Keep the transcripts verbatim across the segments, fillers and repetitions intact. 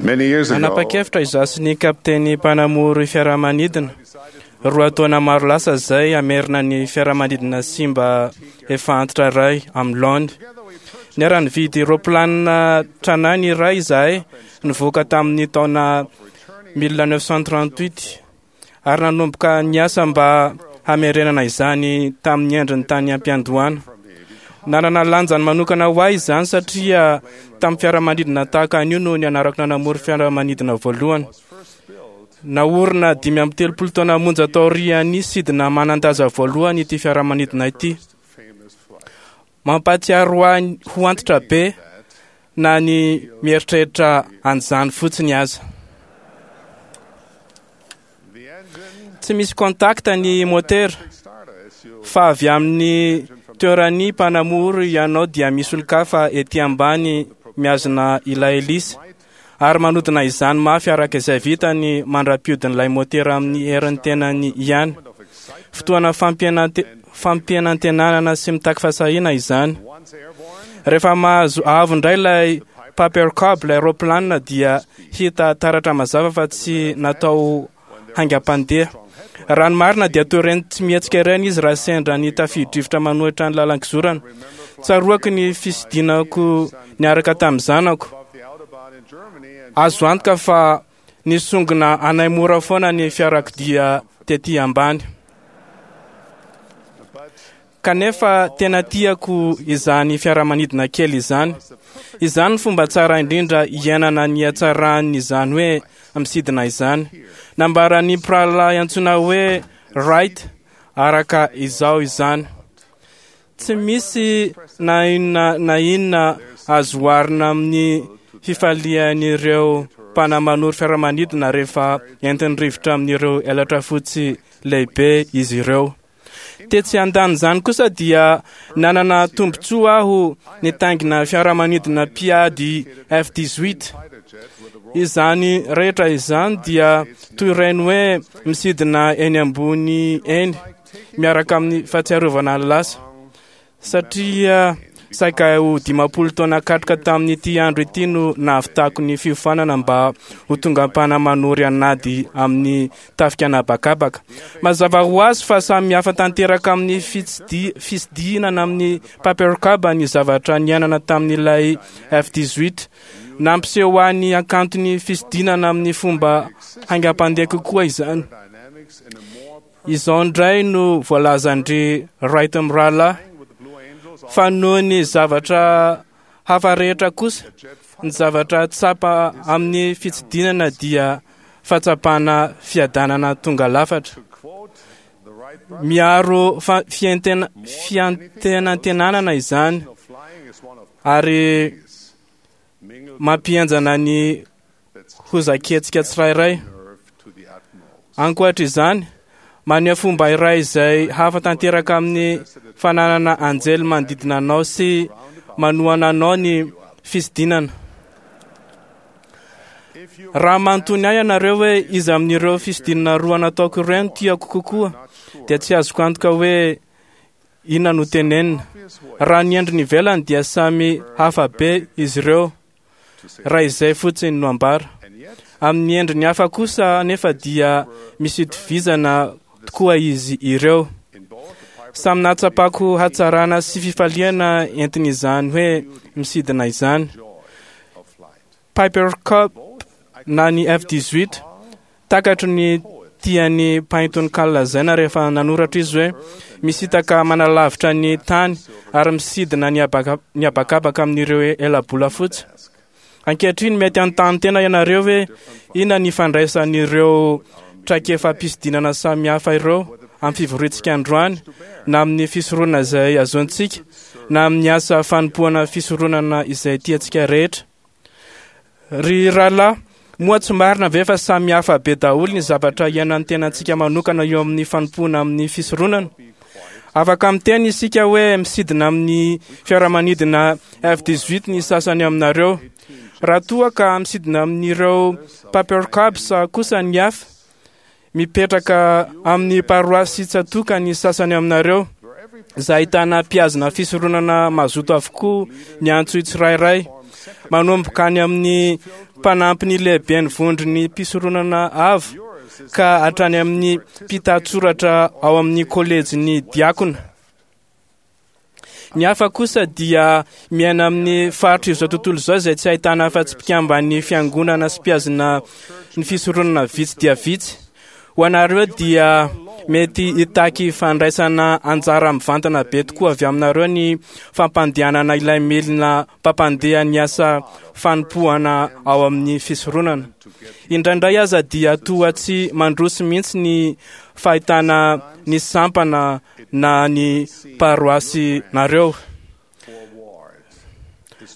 Many years ago, Nanapa-kevitra izaho sy ny kapiteny mpanamory fiaramanidina roa taona maro lasa izay hamerina ny fiaramanidina simba efa antitra iray amin'ny laoniny. Niara-nividy roplanina tranainy iray izahay nivoaka tamin'ny taona mille neuf cent trente-huit ary nanomboka niasa mba hamerenana izany tamin'ny endriny tany am-piandohana. Nanana lanjany manokana ho ahy izany satria tamin'ny fiaramanidina tahaka an'io no nianarako nanamory fiaramanidina voalohany. Naorina dimy amby telopolo taona monja taorian'ny sidina manan-daza voalohany ity fiaramanidina ity. Mampahatsiaro ahy ho antitra be na ny mieritreritra an'izany fotsiny aza. Tsy misy contact ny motera fa avy amin'ny toeran'ny mpanamory ianao dia misy olon-kafa ety ambany mihazona ilay hélice ary manodina izany mafy araka izay vitany mandra-piodin'ilay motera amin'ny herin'ny tenany ihany. Fotoana fampianante-, fampianantenana sy mitaky fahasahiana izany. Rehefa mahazo avo indray ilay Piper Cub, ilay roplanina, dia hita taratra mazava fa tsy natao haingam-pandeha. Raha ny marina dia toy ireny tsy mihetsika ireny izy raha sendra ny tafio-drivotra manohitra ny lalan-kizorana. Tsaroako ny fisidinako niaraka tamin'ny zanako. Azo antoka fa nisongona anay mora foana ny fiarakodia tety ambany. Kanefa tena tiako izany fiaramanidina kely izany. Izany ny fomba tsara indrindra iainana ny hatsaran'izany hoe misidina izany. Nambaran'ny mpirahalahy antsoina hoe Wright araka izao izany. Tsy misy na inona na inona azo oharina amin'ny fifalian'ireo mpanamanoro fiaramanidina rehefa entin'ny rivotra amin'ireo elatra fotsy lehibe izy ireo. Tetsy andanin'izany kosa dia nanana tombontsoa aho nitaingina fiaramanidina mpiady F dix-huit. Izany rehetra izany dia toy ireny hoe misidina eny ambony eny miaraka amin'ny fahatsiarovana ny lasa. Satria saika ho dimampolo taona katroka tamin'ity andro ity no nahavitako ny fiofanana mba ho tonga mpanamory an'ady amin'ny tafika an'habakabaka. Mazava ho azy fa samy hafa tanteraka amin'ny fitsidi-, fisidinana amin'ny Piper Cub ny zavatra niainana tamin'ilay F dix-huit. Nampiseho ahy ny hakanton'ny fisidinana amin'ny fomba haingam-pandeha kokoa izany. Izao indray no voalazan-dry Wright mirahalahy fa noho ny zavatra hafa rehetra kosa, ny zavatra tsapa amin'ny fitsidinana dia fahatsapana fiadanana tonga lafatra. Miaro fa-, fiantena-, fiantenantenanana izany ary mampihenjana ny hozaketsika tsirairay. Ankoatra izany, maneho fomba iray izay hafa tanteraka amin'ny fananana anjely manodidina anao sy manohana anao ny fisidinana. Raha manontany ahy ianareo hoe iza amin'ireo fisidinana roa nataoko ireo no tiako kokoa, dia tsy azoko antoka hoe inona no tenenina. Raha ny endriny ivelany dia samy hafa be izy ireo, raha izay fotsiny no ambara. Amin'ny endriny hafa kosa nefa dia misy itovizana tokoa izy ireo. Samy nahatsapako hatsarana sy fifaliana entin'izany hoe misidina izany. Piper Cub na ny F dix-huit, takatry ny tian'ny mpahay-tononkalo lazaina rehefa nanoratra izy hoe misintaka manalavitra ny tany ary misidina ny habaka-, ny habakabaka amin'ireo elabola fotsy. Ankehitriny mety hanontany tena ianareo hoe inona ny ifandraisan'ireo traikefa-pisidinana samihafa ireo amin'ny fivoriantsika androany, na amin'ny fisoronana izay azontsika, na amin'ny asa fanompoana fisoronana izay tiantsika rehetra. Ry rahalahy, moa tsy marina ve fa samy hafa be daholo ny zavatra iainan'ny tenantsika manokana eo amin'ny fanompoana amin'ny fisoronana? Afaka miteny isika hoe misidina amin'ny fiaramanidina F dix-huit ny sasany aminareo. Raha toa ka misidina amin'ireo Piper Cubs kosa ny hafa, mipetraka amin'ny paroasy tsatoka ny sasany aminareo, izay ahitana mpihazona fisoronana mazoto avokoa ny antso tsirairay. Manomboka any amin'ny mpanampy ny lehiben'ny vondron'ny mpisoronana avo ka hatrany amin'ny mpitatsoratra ao amin'ny kolejin'ny diakona. Ny hafa kosa dia miaina amin'ny faritra izao tontolo izao izay tsy ahitana afa-tsy mpikamban'ny fiangonana sy mpihazona ny fisoronana vitsy dia vitsy. Ho anareo dia mety hitaky fandraisana anjara mivantana be tokoa avy aminareo ny fampandehanana ilay milina mpampandeha ny asa fanompoana ao amin'ny fisoronana. Indraindray aza dia toa tsy mandroso mihitsy ny fahitana ny sampana na ny paroasinareo.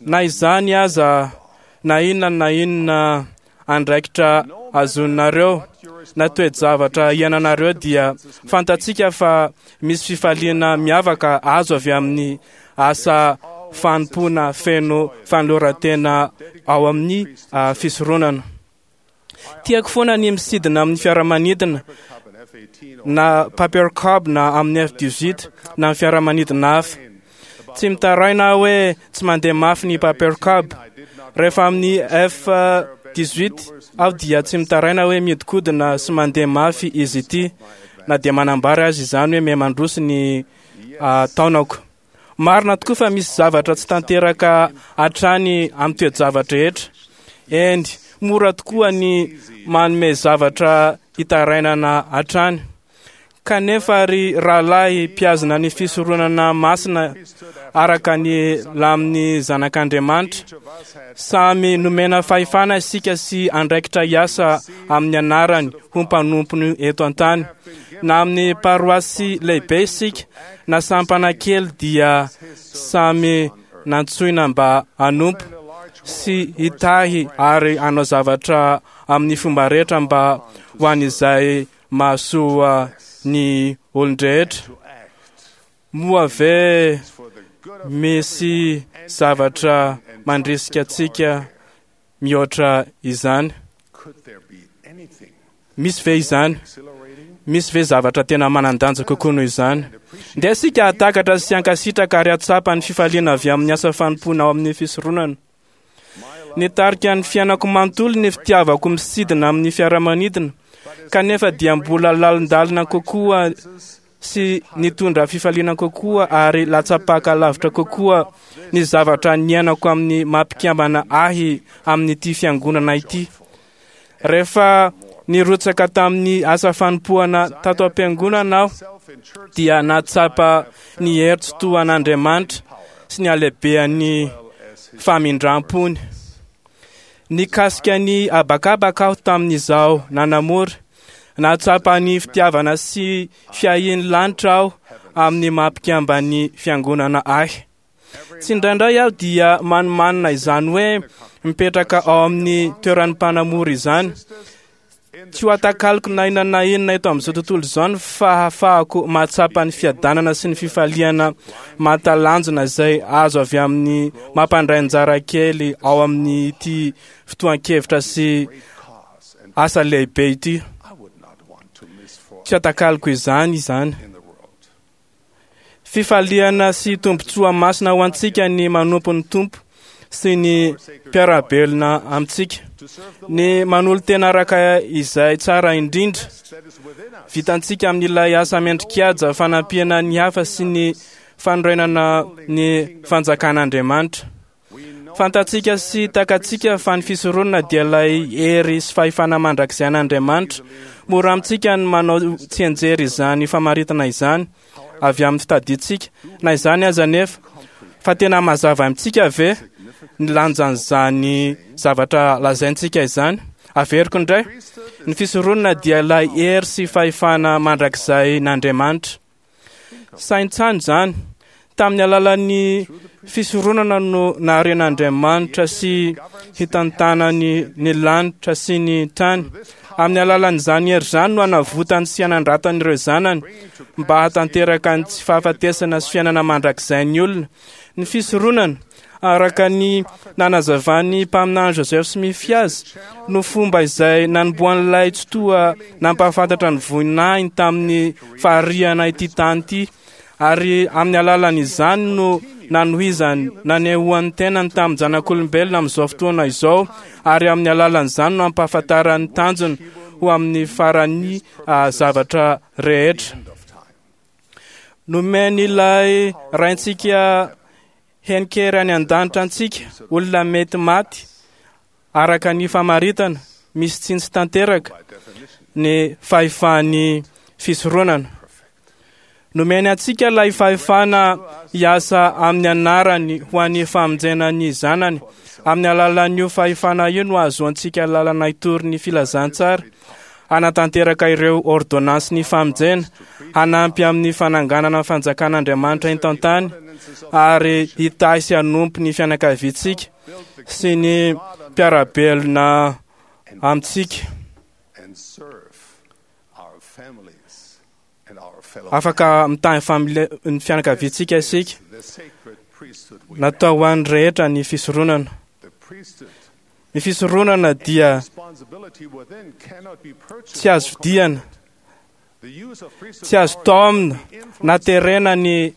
Na izany aza, na inona na inona andraikitra azonareo na toe-javatra iainanareo dia fantatsika fa misy fifaliana miavaka azo avy amin'ny asa fanompoana feno fanoloran-tena ao amin'ny ah, fisoronana. Tiako foana ny misidina amin'ny fiaramanidina na Piper Cub na amin'ny F dix-huit na amin'ny fiaramanidina hafa. Tsy mitaraina aho hoe tsy mandeha mafy ny Piper Cub. Rehefa amin'ny F dix-huit aho dia tsy mitaraina hoe mihodinkodina sy mandeha mafy izy ity, na dia manambara azy izany hoe miha-mandroso ny, ah, taonako. Marina tokoa fa misy zavatra tsy tanteraka hatrany amin'ny toe-javatra rehetra. Eny, mora tokoa ny manome zavatra hitarainana hatrany. Kanefa ry rahalahy mpihazona ny fisoronana masina araka ny lamin'ny zanak'Andriamanitra, samy nomena fahefana isika sy andraikitra hiasa amin'ny anarany ho mpanompony eto an-tany. Na amin'ny paroasy lehibe isika na sampana kely dia samy nantsoina mba hanompo sy hitahy ary hanao zavatra amin'ny fomba rehetra mba ho an'izay mahasoa ny olon-drehetra. Moa ve misy zavatra mandrisika antsika mihoatra izany? Misy ve izany? Misy ve zavatra tena manan-danja kokoa noho izany? Ndeha isika hahatakatra sy hankasitraka ary hahatsapa ny fifaliana avy amin'ny asa fanompoana ao amin'ny fisoronana. Nitarika ny fiainako manontolo ny fitiavako misidina amin'ny fiaramanidina, kanefa dia mbola lalindalina kokoa sy nitondra fifaliana kokoa ary latsapaka lavitra kokoa ny zavatra niainako amin'ny mampikambana ahy amin'ity fiangonana ity. Rehefa nirotsaka tamin'ny asa fanompoana tato am-piangonana aho dia nahatsapa ny hery tsy toa an'Andriamanitra sy ny halehibehan'ny famindrampony. Nikasika ny habakabaka aho tamin'izaho nanamory. Nahatsapa ny fitiavana sy fiahian'ny lanitra aho amin'ny mampikambany fiangonana ahy. Tsy indraindray aho dia manomanina izany hoe mipetraka ao amin'ny toeran'ny mpanamory izany. Tsy ho atakaliko na inona na inona eto amin'izao tontolo izao ny fahafahako mahatsapa ny fiadanana sy ny fifaliana mahatalanjona izay azo avy amin'ny mampandray anjara kely ao amin'ity fotoan-kevitra sy asa lehibe ity. Tsy atakaliko izany izany. Fifaliana sy tombontsoa masina ho antsika ny manompo ny Tompo sy ny mpiara-belona amintsika. Ny manolo-tena araka izay tsara indrindra vitantsika amin'ilay asa mendrikaja fanampiana ny hafa sy ny fanorenana ny fanjakan'Andriamanitra. Fantatsika sy takatsika fa ny fisoronana dia ilay hery sy fahefana mandrakizay an'Andriamanitra. Mora amintsika ny manao tsianjery izany famaritana izany avy amin'ny fitadintsika. Na izany aza nefa, fa tena mazava amintsika ve ny lanjan'izany zavatra lazaintsika izany? Averiko indray, ny fisoronana dia ilay hery sy fahefana mandrakizay n'Andriamanitra. Saintsaino izany. Tamin'ny alalan'ny fisoronana no naharen'Andriamanitra sy hitantanany ny lanitra sy ny tany. Amin'ny alalan'izany hery izany no hanavotany sy hanandratany ireo zanany mba hahatanteraka ny tsy fahafatesana sy fiainana mandrakizay ny olona. Ny fisoronana, araka ny nanazavan'ny mpaminany Joseph Smith azy, no fomba izay nanombohan'ilay Tsitoha nampahafantatra ny voninahiny tamin'ny fahariana ity tany ity, ary amin'ny alalan'izany no nanohizany nanehoan'ny tenany tamin'ny zanak'olombelona amin'izao fotoana izao, ary amin'ny alalan'izany no ampahafantaran'ny tanjony ho amin'ny faran'ny zavatra rehetra. Nomen'ilay Raintsika henikery any an-danitra antsika, olona mety maty araka ny famaritana misy tsiny tsy tanteraka ny fahefan'ny fisoronana. Nomeny antsika ilay fahefana hiasa amin'ny anarany ho an'ny famonjena ny zanany. Amin'ny alalan'io fahefana io no ahazoantsika lalana hitory ny filazantsara, hanatanteraka ireo ordonnansin'ny ny famonjena, hanampy amin'ny fananganana ny fanjakan'Andriamanitra eto an-tany, ary hitahy sy hanompo ny fianakaviantsika sy ny mpiara-belona amintsika. Afaka mitahy ny fianakaviantsika isika. Natao ho an'ny rehetra ny fisoronana. Ny fisoronana dia tsy azo vidiana, tsy azo taomina na terena ny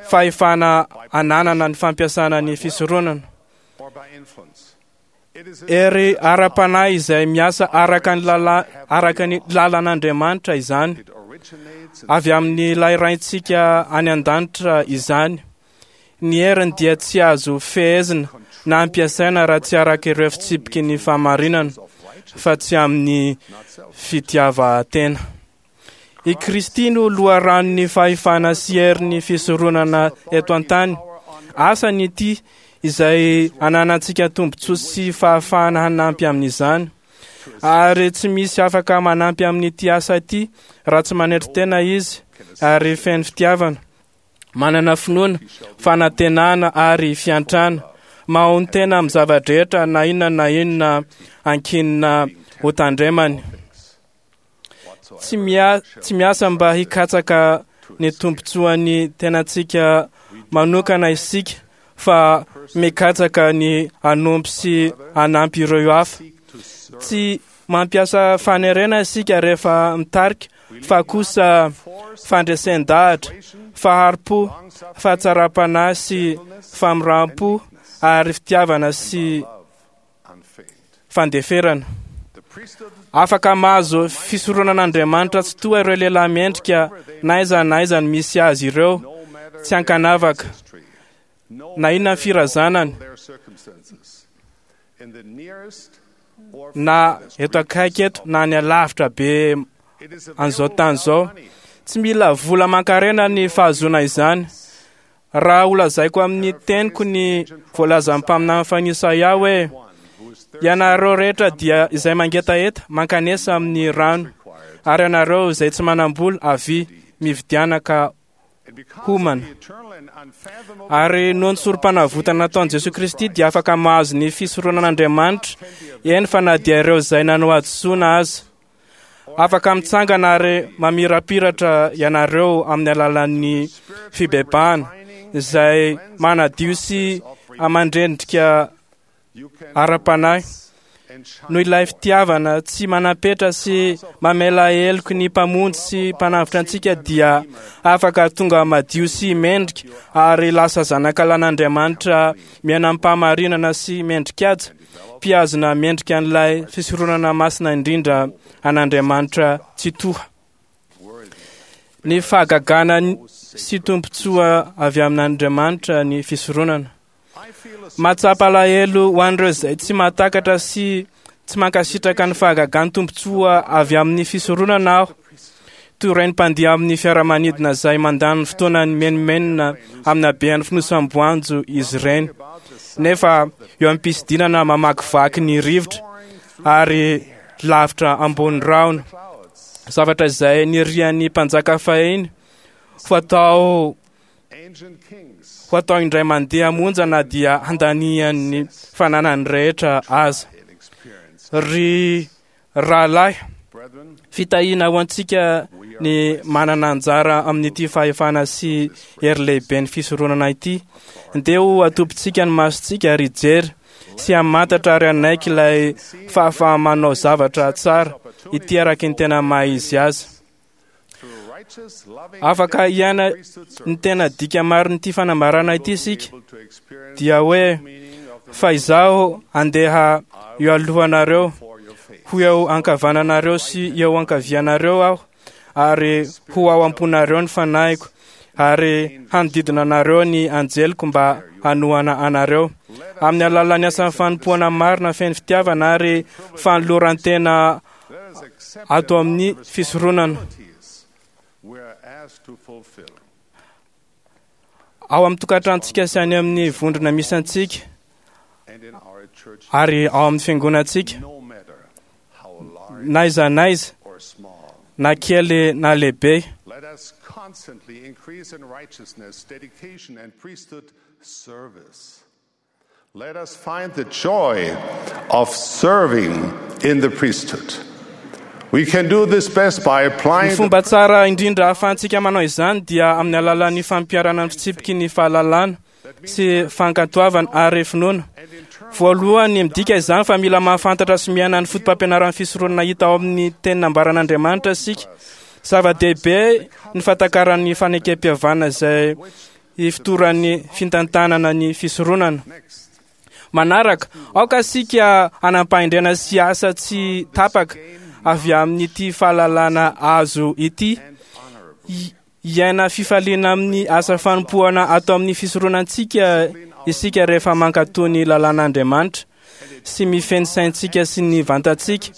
fahefana ananana ny fampiasana ny fisoronana. Hery ara-panahy izay miasa araka ny lala, araka ny lalan'Andriamanitra izany, avy amin'ilay Raintsika any an-danitra izany. Ny heriny dia tsy azo fehezina na ampiasaina raha tsy araka ireo fitsipiky ny fahamarinana, fa tsy amin'ny fitiavan-tena. I Kristy no loharanon'ny fahefana sy herin'ny fisoronana eto an-tany. Asany ity izay ananantsika tombontsoa sy fahafahana hanampy amin'izany. Ary tsy misy afaka manampy amin'ity asa ity raha tsy manetry tena izy ary feno fitiavana, manana finoana, fanantenana ary fiantrana, mahonon-tena amin'ny zava-drehetra na inona na inona ankinina ho tandremany. Tsy mia- tsy miasa mba hikatsaka ny tombontsoan'ny tenantsika manokana isika, fa mikatsaka ny hanompo sy hanampy ireo hafa. Tsy mampiasa fanerena isika rehefa mitarika, fa kosa fandresen-dahatra, fahari-po, fahatsaram-panahy sy famoram-po ary fitiavana sy fandeferana. Afaka mahazo fisoronan'Andriamanitra tsy toa ireo lehilahy mendrika na aiza na aiza ny misy azy ireo, tsy ankanavaka na inona ny firazanany, na eto akaiky eto na any alavitra be an'izao tany izao. Tsy mila vola aman-karena ny fahazoana izany. Raha holazaiko amin'ny teniko ny voalazan'ny mpaminany fahiny Isaia hoe: ianareo rehetra dia izay mangetaheta mankanesa amin'ny rano, ary ianareo izay tsy manam-bola avia mividiana ka homana. Ary noho ny sorom-panavotana nataon'i Jesoa Kristy dia afaka mahazo ny fisoronan'Andriamanitra, eny fa na dia ireo izay nanao hadisoana aza. Afaka mitsangana ary mamirapiratra ianareo amin'ny alalan'ny fibebahana izay manadio sy mandrendrika ara-panahy. Noho ilay fitiavana tsy manam-petra sy mamela heloky ny Mpamonjy sy Mpanavotra antsika dia afaka tonga madio sy mendrika ary lasa zanakalan'Andriamanitra miaina amim-pahamarinana sy mendrikaja, mpihazona mendrika an'ilay fisoronana masina indrindra an'Andriamanitra Tsitoha. Ny fahagagana sy tombontsoa avy amin'Andriamanitra ny fisoronana. Mahatsapa alahelo ho an'ireo izay tsy mahatakatra sy tsy mankasitraka ny fahagagan'ny tombontsoa avy amin'ny fisoronana aho. Toy ireny mpandeha amin'ny fiaramanidina izay mandany fotoana ny menomenona amin'ny habean'ny fonosam-boanjo izy ireny, nefa eo am-pisidinana mamakivaky ny rivotra ary lavitra ambony rahona, zavatra izay nirian'ny mpanjaka fahiny ho atao ho atao indray mandeha monja na dia handanian'ny fananany rehetra aza. Ry rahalahy, fitahiana ho antsika ny manana anjara amin'ity fahefana sy hery lehibe ny fisoronana ity. Ndeha ho atobintsika ny masontsika ary hijery sy hamantatra ary hanaiky ilay fahafaha-manao zavatra tsara ity araky ny tena maha izy azy. Afaka hiaina ny tena dika marin'ity fanambarana ity isika, dia hoe fa izaho andeha eo alohanareo, ho eo ankavananareo sy eo ankavianareo aho, ary ho ao am-ponareo ny fanahiko, ary hanodidina anareo ny anjeliko mba hanohana anareo. Amin'ny alalan'ny asan'ny fanompoana marina feno fitiavana ary fanoloran-tena ato amin'ny fisoronana. Ao amin'ny tokantranontsika sy any amin'ny vondrona misy antsika, ary ao amin'ny fiangonantsika, na aiza na aiza, na kely na lehibe. Let us constantly increase in righteousness, dedication, and priesthood service. Let us find the joy of serving in the priesthood. We can do this best by Ny applying the fomba tsara indrindra ahafahantsika manao izany dia amin'ny alalan'ny fampiharana ny fitsipiky ny fahalalana sy fankatoavana ary finoana. Voalohany, midika izany fa mila mahafantatra sy miaina ny foto-pampianaran'ny fisoronana hita ao amin'ny teny nambaran'Andriamanitra isika. Zava-dehibe ny fahatakaran'ny fanekem-pihavanana izay ifotoran'ny fitantanana ny fisoronana. Manaraka, aoka isika hanam-pahendrena sy asa tsy tapaka avy amin'ity fahalalana azo ity. I- Hiaina fifaliana amin'ny asa fanompoana ato amin'ny fisoronantsika isika rehefa mankatò ny lalàn'Andriamanitra sy mifehy ny saintsika sy ny vantantsika,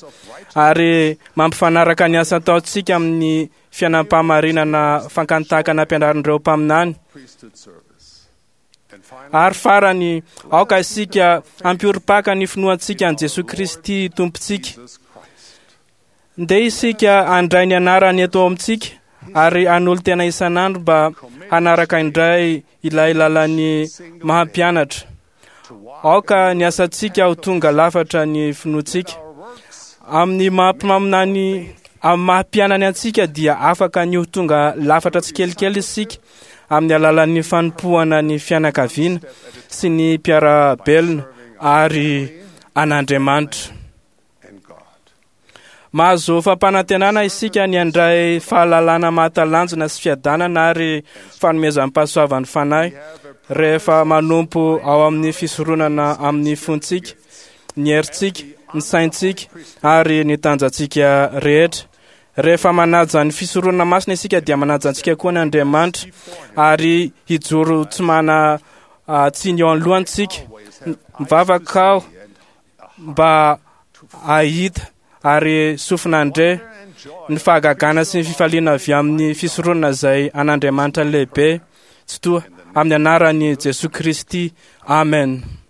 ary mampifanaraka ny asa ataontsika amin'ny fiainam-pahamarinana fankantaka nampianarin'ireo mpaminany. priesthood service. And finally, Ary farany, aoka isika hampiorim-paka ny finoantsika an'i Jesoa Kristy Tompontsika. Jesus Christ. Ndeha isika handray ny anarany eto amintsika ary hanolo-tena isan'andro mba hanaraka indray ilay lalan'ny mahampianatra. Aoka ny asantsika ho tonga lafatra ny finoantsika. Our works Amin'ny maha-mpaminany, amin'ny maha-mpianany antsika dia afaka ny ho tonga lafatra tsikelikely isika amin'ny alalan'ny fanompoana ny fianakaviana sy ny mpiara-belona ary an'Andriamanitra. and God. Mahazo fampanantenana isika ny handray fahalalana mahatalanjona sy fiadanana ary fanomezam-pahasoavan'ny fanahy rehefa manompo ao amin'ny fisoronana amin'ny fontsika, ny herintsika, ny saintsika ary ny tanjantsika rehetra. Rehefa manaja ny fisoronana masina isika dia manaja antsika koa ny Andriamanitra ary hijoro tsy mana ah, tsiny eo anoloantsika. Mivavaka aho mba hahita ary sofina handre ny fahagagana sy ny fifaliana avy amin'ny fisoronana izay an'Andriamanitra lehibe tsy toa amin'ny anaran'i Jesoa Kristy. Amen.